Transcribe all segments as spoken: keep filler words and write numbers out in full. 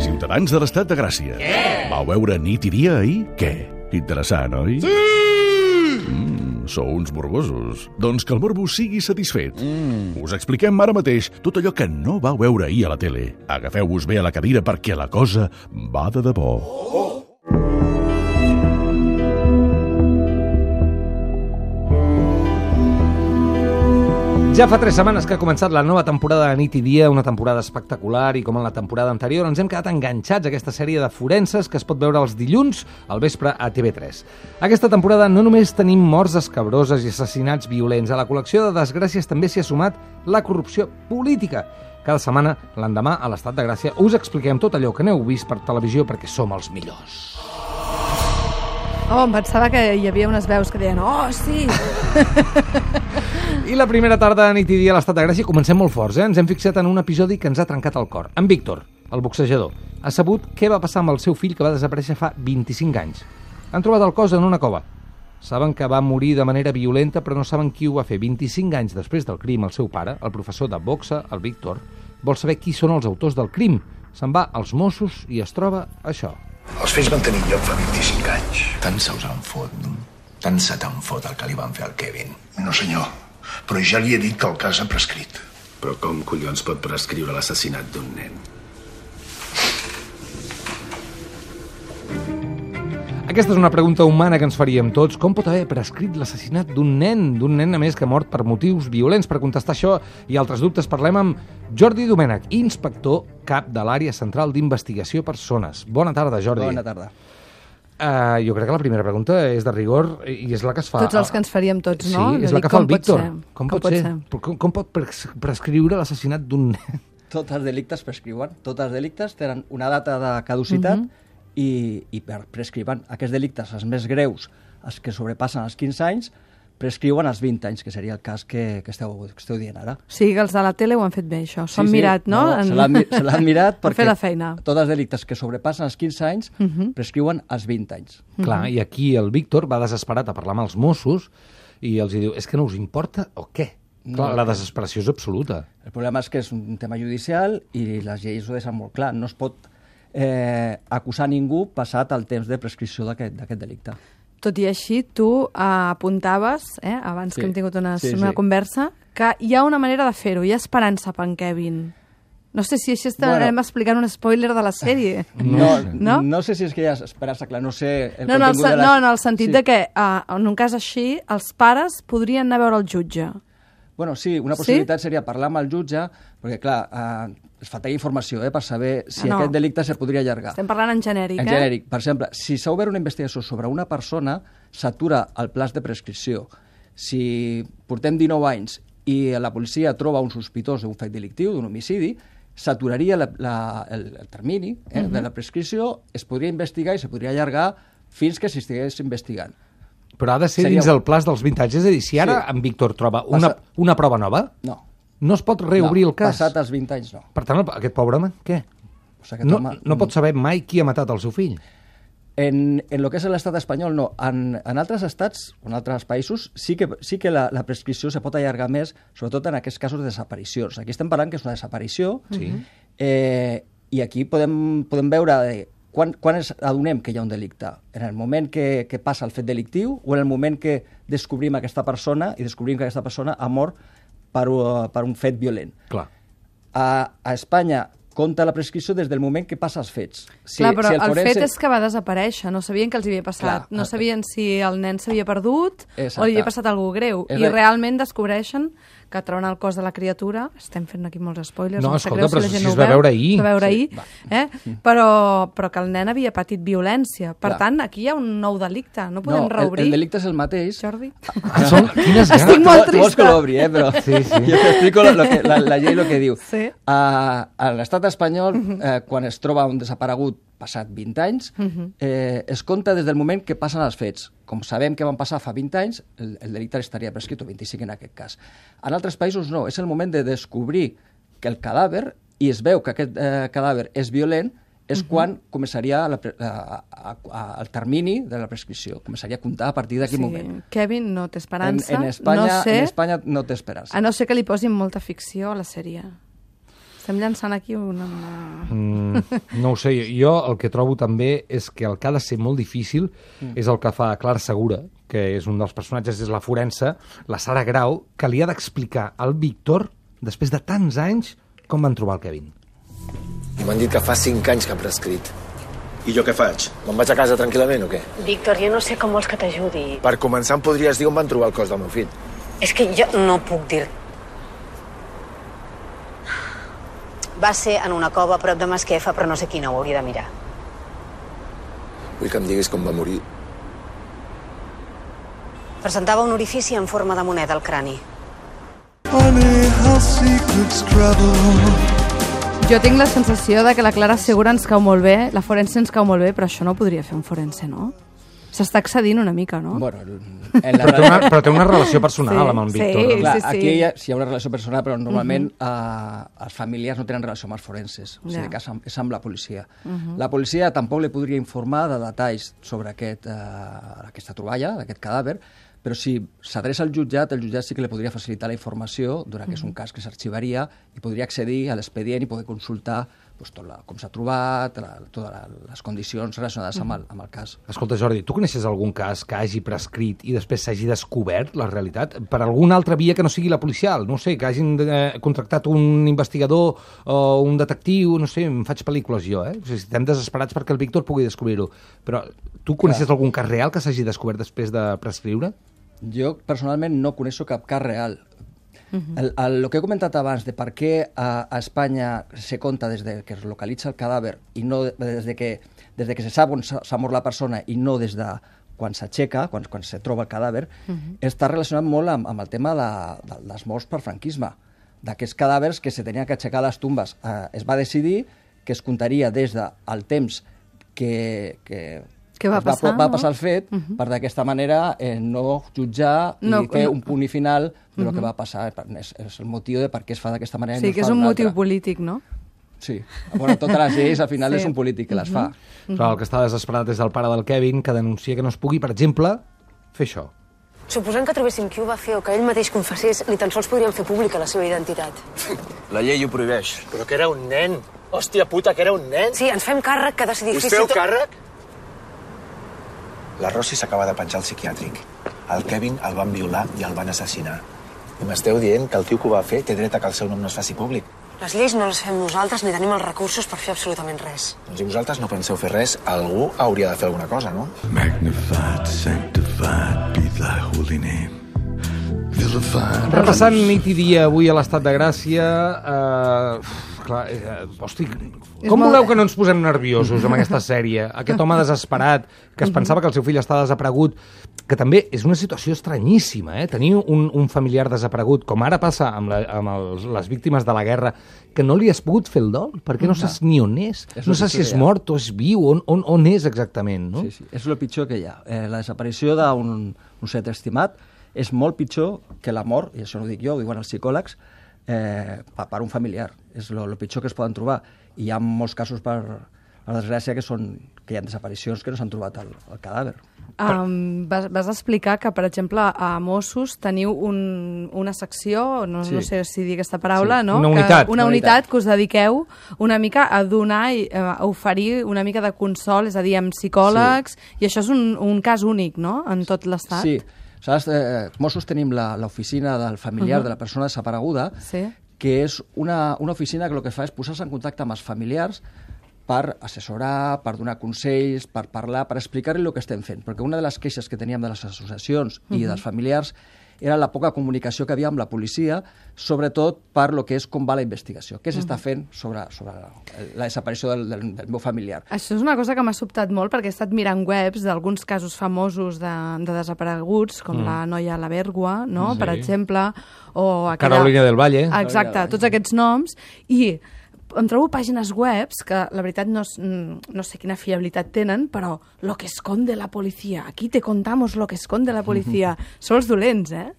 Ciutadans de l'Estat de Gràcia. Què? Vau veure nit i dia ahir? Què? Interessant, oi? Sí! Mm, sou uns morbosos. Doncs que el morbo sigui satisfet. Mm. Us expliquem ara mateix tot allò que no vau veure ahir a la tele. Agafeu-vos bé a la cadira perquè la cosa va de debò. Oh! Ja fa tres setmanes que ha començat la nova temporada de Nit i Dia, una temporada espectacular, i com en la temporada anterior ens hem quedat enganxats a aquesta sèrie de forenses que es pot veure els dilluns al vespre a T V tres. Aquesta temporada no només tenim morts escabroses i assassinats violents, a la col·lecció de desgràcies també s'hi ha sumat la corrupció política. Cada setmana, l'endemà, a l'Estat de Gràcia, us expliquem tot allò que n'heu vist per televisió perquè som els millors. Oh, em pensava que hi havia unes veus que deien «Oh, sí!» I la primera tarda de Nit i Dia a l'Estat de Gràcia comencem molt forts, eh? Ens hem fixat en un episodi que ens ha trencat el cor. En Víctor, el boxejador, ha sabut què va passar amb el seu fill que va desaparèixer fa vint-i-cinc anys. Han trobat el cos en una cova. Saben que va morir de manera violenta, però no saben qui ho va fer. vint-i-cinc anys després del crim, el seu pare, el professor de boxa, el Víctor, vol saber qui són els autors del crim. Se'n va als Mossos i es troba això. Els fets van tenir lloc fa vint-i-cinc anys. Tant se us en fot, no? Tant se te'n fot el que li van fer al Kevin. No, senyor, però ja li he dit que el cas ha prescrit. Però com collons pot prescriure l'assassinat d'un nen? Aquesta és una pregunta humana que ens faríem tots. Com pot haver prescrit l'assassinat d'un nen? D'un nen, a més, que ha mort per motius violents. Per contestar això i altres dubtes parlem amb Jordi Domènech, inspector cap de l'Àrea Central d'Investigació Persones. Bona tarda, Jordi. Bona tarda. Uh, jo crec que la primera pregunta és de rigor i és la que es fa... Tots els que ens faríem tots, no? Sí, és la que fa el Víctor. Com, com pot ser? ser? Com, com pot prescriure l'assassinat d'un nen? Tots els delictes prescriuen. Tots els delictes tenen una data de caducitat uh -huh. i, i prescriuen. Aquests delictes, els més greus, els que sobrepassen els quinze anys, prescriuen els vint anys, que seria el cas que, que, esteu, que esteu dient ara. Sí, que els de la tele ho han fet bé, això. S'ho han sí, mirat, sí. no? no en... Se l'han mirat perquè la feina. Tots els delictes que sobrepassen els quinze anys uh -huh. prescriuen els vint anys. Uh -huh. Clar, i aquí el Víctor va desesperat a parlar amb els Mossos i els diu, és que no us importa o què? No, clar, la desesperació és absoluta. El problema és que és un tema judicial i les lleis ho deixen molt clar. No es pot eh, acusar ningú passat el temps de prescripció d'aquest delicte. Tot i així, tu eh, apuntaves, eh, abans sí. que hem tingut una, sí, una sí. conversa, que hi ha una manera de fer-ho, hi ha esperança per en Kevin. No sé si així estarem bueno, explicant un spoiler de la sèrie. No, no? no sé si és que hi ha esperança, clar, no sé... El no, no, el, de les... no, en el sentit sí. de que, uh, en un cas així, els pares podrien anar a veure el jutge. Bueno, sí, una possibilitat sí? seria parlar amb el jutge, perquè, clar, eh, es faltaria informació eh, per saber si ah, no. aquest delicte se podria allargar. Estem parlant en genèric, en eh? En genèric. Per exemple, si s'ha obert una investigació sobre una persona, s'atura el plaç de prescripció. Si portem dinou anys i la policia troba un sospitós d'un fet delictiu, d'un homicidi, s'aturaria la, la, el, el termini eh, uh -huh. de la prescripció, es podria investigar i se podria allargar fins que s'estigués investigant. Però ha de ser Seria... dins el plaç dels vint anys. És a dir, si ara sí. en Víctor troba una, Passat... una prova nova, no. no es pot reobrir no, el cas. Passat els vint anys, no. Per tant, aquest pobre home, què? O sigui, no, home... no pot saber mai qui ha matat el seu fill. En, en lo que és l'estat espanyol, no. En, en altres estats, o en altres països, sí que, sí que la, la prescripció se pot allargar més, sobretot en aquests casos de desaparicions. Aquí estem parlant que és una desaparició, sí. eh, i aquí podem, podem veure... Eh, Quan, quan ens adonem que hi ha un delicte? En el moment que, que passa el fet delictiu o en el moment que descobrim aquesta persona i descobrim que aquesta persona ha mort per, uh, per un fet violent? Clar. A, a Espanya compta la prescripció des del moment que passa els fets. Si, Clar, però si el, el forense... fet és que va desaparèixer, no sabien que els havia passat, Clar, no sabien si el nen s'havia perdut exacte. O li havia passat alguna cosa greu, és i realment descobreixen que troben el cos de la criatura. Estem fent aquí molts spoilers. No, no escolta, però si, si no es va veure ahir. Es va veure sí, ahir, eh? però, però que el nen havia patit violència. Per Clar. tant, aquí hi ha un nou delicte. No podem no, reobrir. El, el delicte és el mateix. Jordi? Ah, són, quines ganes. Estic molt trista. Tu vols que l'obri, eh? Però sí, sí. jo t'explico lo, lo que, la, la llei el que diu. Sí. Uh, a l'estat espanyol, eh, quan es troba un desaparegut passat vint anys, eh, es compta des del moment que passen els fets. Com sabem que van passar fa vint anys, el, el delicte estaria prescrit, o vint-i-cinc en aquest cas. En altres països no, és el moment de descobrir que el cadàver, i es veu que aquest eh, cadàver és violent, és uh-huh. quan començaria la, a, a, a, el termini de la prescripció. Començaria a comptar a partir d'aquell sí. moment. Kevin, no té esperança. En, en, Espanya, no sé, en Espanya no té esperança. A no ser que li posin molta ficció a la sèrie. Estem llançant aquí una... Mm, no ho sé, jo el que trobo també és que el que ha de ser molt difícil mm. és el que fa Clara Segura, que és un dels personatges, és la forense, la Sara Grau, que li ha d'explicar al Víctor, després de tants anys, com van trobar el Kevin. I m'han dit que fa cinc anys que ha prescrit. I jo què faig? Me'n vaig a casa tranquil·lament o què? Víctor, jo no sé com vols que t'ajudi. Per començar, em podries dir on van trobar el cos del meu fill. És que jo no puc dir... Va ser en una cova a prop de Masquefa, però no sé quina, ho hauria de mirar. Vull que em diguis com va morir. Presentava un orifici en forma de moneda al crani. Jo tinc la sensació de que la Clara Segura ens cau molt bé, la forense ens cau molt bé, però això no podria fer un forense, no? S'està excedint una mica, no? Bueno, en la... però, té una, però té una relació personal sí, amb el Víctor. Sí, Clar, sí, sí. aquí hi ha, sí hi ha una relació personal, però normalment uh -huh. uh, els familiars no tenen relació amb els forenses, o sigui yeah. que és amb, és amb la policia. Uh -huh. La policia tampoc li podria informar de detalls sobre aquest, uh, aquesta troballa, d'aquest cadàver, però si s'adreça al jutjat, el jutjat sí que li podria facilitar la informació, donat que és un cas que s'arxivaria, i podria accedir a l'expedient i poder consultar pues, tot la, com s'ha trobat, la, totes les condicions relacionades amb el, amb el cas. Escolta, Jordi, tu coneixes algun cas que hagi prescrit i després s'hagi descobert la realitat per alguna altra via que no sigui la policial? No sé, que hagin eh, contractat un investigador o un detectiu, no sé, em faig pel·lícules jo, eh? O sigui, estem desesperats perquè el Víctor pugui descobrir-ho. Però tu coneixes algun cas real que s'hagi descobert després de prescriure? Jo, personalment, no coneixo cap cas real. Uh -huh. el, el, el que he comentat abans de per què a, a Espanya se compta des de que es localitza el cadàver i no des de que, des de que se sap on s'ha mort la persona i no des de quan s'aixeca, quan, quan se troba el cadàver, uh -huh. està relacionat molt amb, amb el tema de, de les morts per franquisme. D'aquests cadàvers que se tenien que aixecar les tombes. Eh, es va decidir que es comptaria des del temps que... que Què va passar, va, va no? passar el fet, uh -huh. per d'aquesta manera eh, no jutjar no, i fer no. un punt i final de lo uh -huh. que va passar. És, és el motiu de per què es fa d'aquesta manera. Sí, i no que es és fa un motiu altra. polític, no? Sí. Bueno, totes les lleis, al final, sí. és un polític que les fa. Uh -huh. Però el que està desesperat és el pare del Kevin, que denuncia que no es pugui, per exemple, fer això. Suposant que trobéssim qui ho va fer o que ell mateix confessés, ni tan sols podríem fer pública la seva identitat. La llei ho prohibeix. Però que era un nen. Hòstia puta, que era un nen. Sí, ens fem càrrec que decidir... Us feu càrrec? La Rossi s'acaba de penjar al psiquiàtric. El Kevin el van violar i el van assassinar. I m'esteu dient que el tio que ho va fer té dret a que el seu nom no es faci públic. Les lleis no les fem nosaltres ni tenim els recursos per fer absolutament res. Doncs si vosaltres no penseu fer res, algú hauria de fer alguna cosa, no? Magnified, sanctified be thy holy name. Vilified. Repassant nit i dia avui a l'Estat de Gràcia... Eh... Clar, eh, hosti, com voleu molt... que no ens posem nerviosos amb aquesta sèrie? Aquest home desesperat, que es pensava que el seu fill està desaparegut, que també és una situació estranyíssima, eh? Tenir un, un familiar desaparegut, com ara passa amb, la, amb els, les víctimes de la guerra, que no li has pogut fer el dol, perquè no saps ni on és, és no saps si és mort o és viu, on, on, on és exactament, no? Sí, sí, és el pitjor que hi ha. Eh, la desaparició d'un un set estimat és molt pitjor que la mort, i això no ho dic jo, ho diuen els psicòlegs, eh, per un familiar. És el pitjor que es poden trobar. I hi ha molts casos, per a la desgràcia, que, són, que hi ha desaparicions que no s'han trobat el, el cadàver. Um, vas, vas explicar que, per exemple, a Mossos teniu un, una secció, no, sí. no sé si dir aquesta paraula, sí. no? Una unitat. Que, una unitat que us dediqueu una mica a donar i a oferir una mica de consol, és a dir, amb psicòlegs, sí. i això és un, un cas únic, no?, en tot l'Estat. Sí. Saps, eh, Mossos tenim l'oficina del familiar uh -huh. de la persona desapareguda, sí. que és una, una oficina que el que fa és posar-se en contacte amb els familiars per assessorar, per donar consells, per parlar, per explicar-li el que estem fent. Perquè una de les queixes que teníem de les associacions uh -huh. i dels familiars era la poca comunicació que havia amb la policia, sobretot per lo que és com va la investigació. Què s'està uh -huh. fent sobre, sobre la, la desaparició del, del, del meu familiar. Això és una cosa que m'ha sobtat molt, perquè he estat mirant webs d'alguns casos famosos de, de desapareguts, com mm. la noia a la Vèrgua, no? Sí. Per exemple, o aquella... Carolina del Valle. Exacte, tots aquests noms, i em trobo pàgines webs que, la veritat, no, no sé quina fiabilitat tenen, però lo que esconde la policia, aquí te contamos lo que esconde la policia. Són els dolents, eh?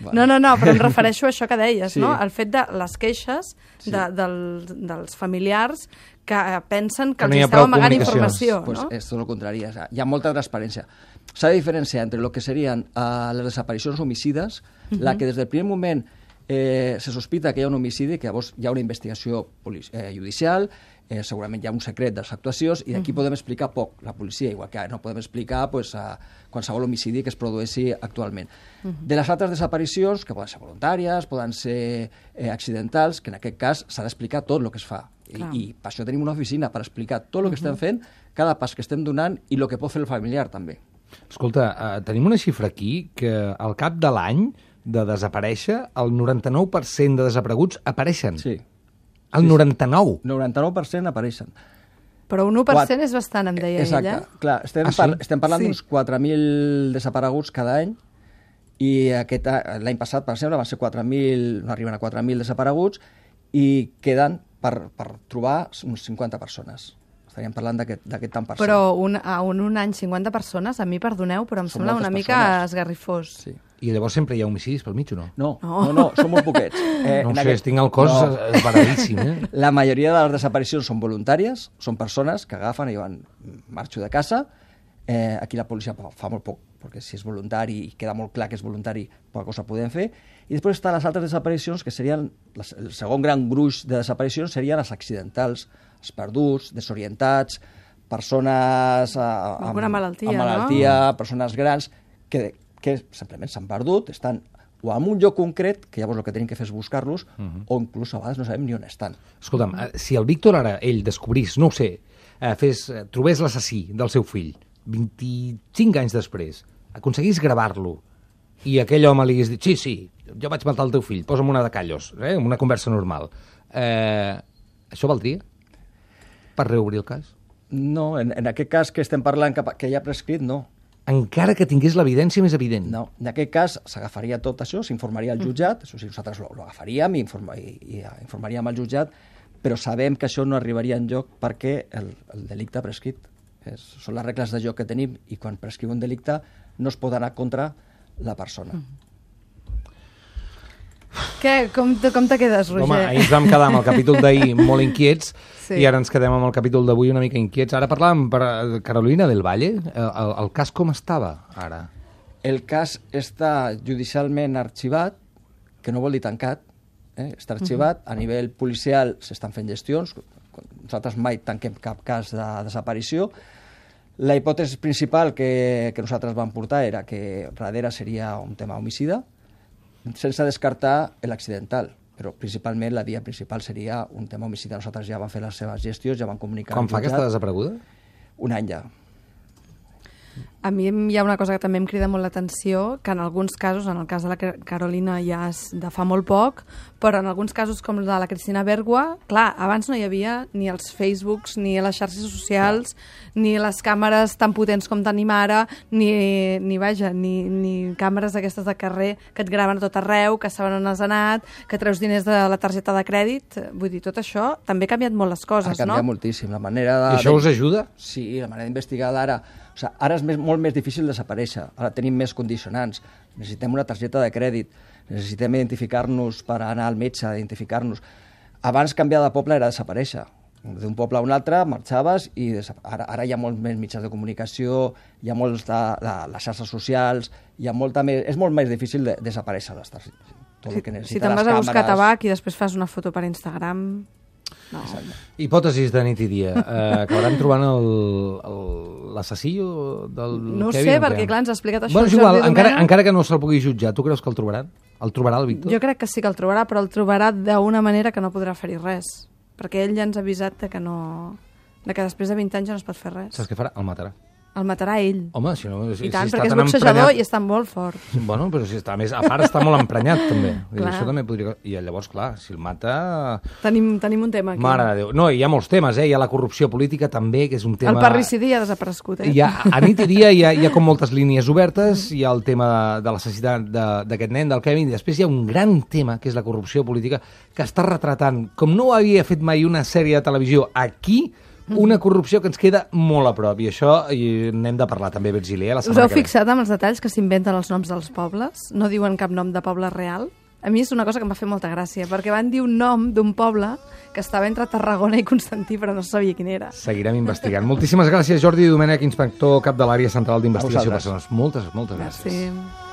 Bueno. No, no, no, però em refereixo a això que deies, sí. no? El fet de les queixes sí. de, del, dels familiars que pensen que, que els esteu amagant informació, pues no? És tot el contrari, hi ha molta transparència. S'ha de diferenciar entre el que serien uh, les desaparicions homicides, uh -huh. la que des del primer moment eh, se sospita que hi ha un homicidi, que llavors hi ha una investigació eh, judicial, eh, segurament hi ha un secret de les actuacions, i d'aquí uh -huh. podem explicar poc, la policia, igual que no podem explicar pues, a qualsevol homicidi que es produeixi actualment. Uh -huh. De les altres desaparicions, que poden ser voluntàries, poden ser eh, accidentals, que en aquest cas s'ha d'explicar tot el que es fa. I, I per això tenim una oficina, per explicar tot el que uh -huh. estem fent, cada pas que estem donant i el que pot fer el familiar, també. Escolta, uh, tenim una xifra aquí que al cap de l'any de desaparèixer, el noranta-nou per cent de desapareguts apareixen. Sí. El noranta-nou? noranta-nou per cent apareixen. Però un u per cent és bastant, em deia Exacte. ella. Exacte. Clar, estem, ah, sí? par estem parlant sí. d'uns quatre mil desapareguts cada any, i l'any passat, per exemple, van ser quatre mil, no arriben a quatre mil desapareguts, i queden per, per trobar uns cinquanta persones. Estaríem parlant d'aquest tant per cent. Però un, a un, un any cinquanta persones, a mi, perdoneu, però em Són sembla una mica persones. esgarrifós. Sí. I llavors sempre hi ha homicidis pel mig o no? No, no, no, no són molt poquets. Eh, no sé, aquest... tinc el cos no. esbaradíssim. Eh? La majoria de les desaparicions són voluntàries, són persones que agafen i diuen marxo de casa. Eh, aquí la policia fa molt poc, perquè si és voluntari i queda molt clar que és voluntari, poca cosa podem fer. I després estan les altres desaparicions, que serien, les, el segon gran gruix de desaparicions serien les accidentals, els perduts, desorientats, persones eh, amb, amb malaltia, amb malaltia no? persones grans, que, que simplement s'han perdut, estan o en un lloc concret, que llavors el que tenim que fer és buscar-los, uh -huh. o inclús a vegades no sabem ni on estan. Escolta'm, si el Víctor ara, ell, descobrís, no ho sé, eh, fes, eh, trobés l'assassí del seu fill, vint-i-cinc anys després, aconseguís gravar-lo, i aquell home li hagués dit, sí, sí, jo vaig matar el teu fill, posa'm una de callos, eh, una conversa normal. Eh, això valdria per reobrir el cas? No, en, en aquest cas que estem parlant que, que ja ha prescrit, no. Encara que tingués l'evidència més evident. No, en aquest cas s'agafaria tot això, s'informaria al jutjat, això sí, nosaltres ho agafaríem i, informa, i, i informaríem al jutjat, però sabem que això no arribaria enlloc perquè el, el delicte ha prescrit. És, són les regles de joc que tenim i quan prescriu un delicte no es pot anar contra la persona. Mm. Què? Com te, com te quedes, Roger? Home, ahir ens vam quedar amb el capítol d'ahir molt inquiets sí. i ara ens quedem amb el capítol d'avui una mica inquiets. Ara parlàvem per Carolina del Valle. El, el, el cas com estava ara? El cas està judicialment arxivat, que no vol dir tancat, eh? està arxivat. Uh -huh. A nivell policial s'estan fent gestions. Nosaltres mai tanquem cap cas de desaparició. La hipòtesi principal que, que nosaltres vam portar era que darrere seria un tema homicida, sense descartar l'accidental, però principalment la via principal seria un tema homicida. Nosaltres ja vam fer les seves gestions, ja vam comunicar... Quan fa aquesta desapareguda? Un any ja. A mi hi ha una cosa que també em crida molt l'atenció, que en alguns casos, en el cas de la Carolina ja és de fa molt poc, però en alguns casos com el de la Cristina Bergua, clar, abans no hi havia ni els Facebooks, ni les xarxes socials, ni les càmeres tan potents com tenim ara, ni, ni vaja, ni, ni càmeres d'aquestes de carrer que et graven a tot arreu, que saben on has anat, que treus diners de la targeta de crèdit. Vull dir, tot això també ha canviat molt les coses, no? Ha canviat no? moltíssim. La manera de... I això us ajuda? Sí, la manera d'investigar d'ara... O sigui, ara és més, molt més difícil desaparèixer. Ara tenim més condicionants. Necessitem una targeta de crèdit. Necessitem identificar-nos per anar al metge, identificar-nos. Abans canviar de poble era desaparèixer. D'un poble a un altre marxaves i ara, ara hi ha molts més mitjans de comunicació, hi ha molts de, de les xarxes socials, hi ha molta més, és molt més difícil de, desaparèixer. Tot el que necessita, si te'n vas a buscar tabac i després fas una foto per Instagram... No. Hipòtesis de nit i dia. Eh, acabaran trobant l'assassí del no Kevin? No sé, perquè clar, ens ha explicat això. Bueno, és igual, encara, encara que no se'l pugui jutjar, tu creus que el trobaran? El trobarà el Víctor? Jo crec que sí que el trobarà, però el trobarà d'una manera que no podrà fer-hi res. Perquè ell ja ens ha avisat de que no... de que després de vint anys ja no es pot fer res. Saps què farà? El matarà. El matarà ell. Home, si no... Si, I tant, si perquè és tan boxejador emprenyat... i està molt fort. Bueno, però si està més... A part està molt emprenyat, també. I això també podria... I llavors, clar, si el mata... Tenim, tenim un tema aquí. Mare de Déu. No, hi ha molts temes, eh? Hi ha la corrupció política, també, que és un tema... El parricidi ha desaparegut, eh? Hi ha, a nit i dia hi ha, hi ha com moltes línies obertes, hi ha el tema de l'assassinat d'aquest nen, del Kevin, i després hi ha un gran tema, que és la corrupció política, que està retratant, com no havia fet mai una sèrie de televisió aquí, una corrupció que ens queda molt a prop, i això i n'hem de parlar també, Virgili. Eh, la Us heu fixat amb els detalls que s'inventen els noms dels pobles? No diuen cap nom de poble real? A mi és una cosa que em va fer molta gràcia, perquè van dir un nom d'un poble que estava entre Tarragona i Constantí, però no sabia quin era. Seguirem investigant. Moltíssimes gràcies, Jordi Domènech, inspector cap de l'àrea central d'investigació personals. Moltes, moltes gràcies. Merci.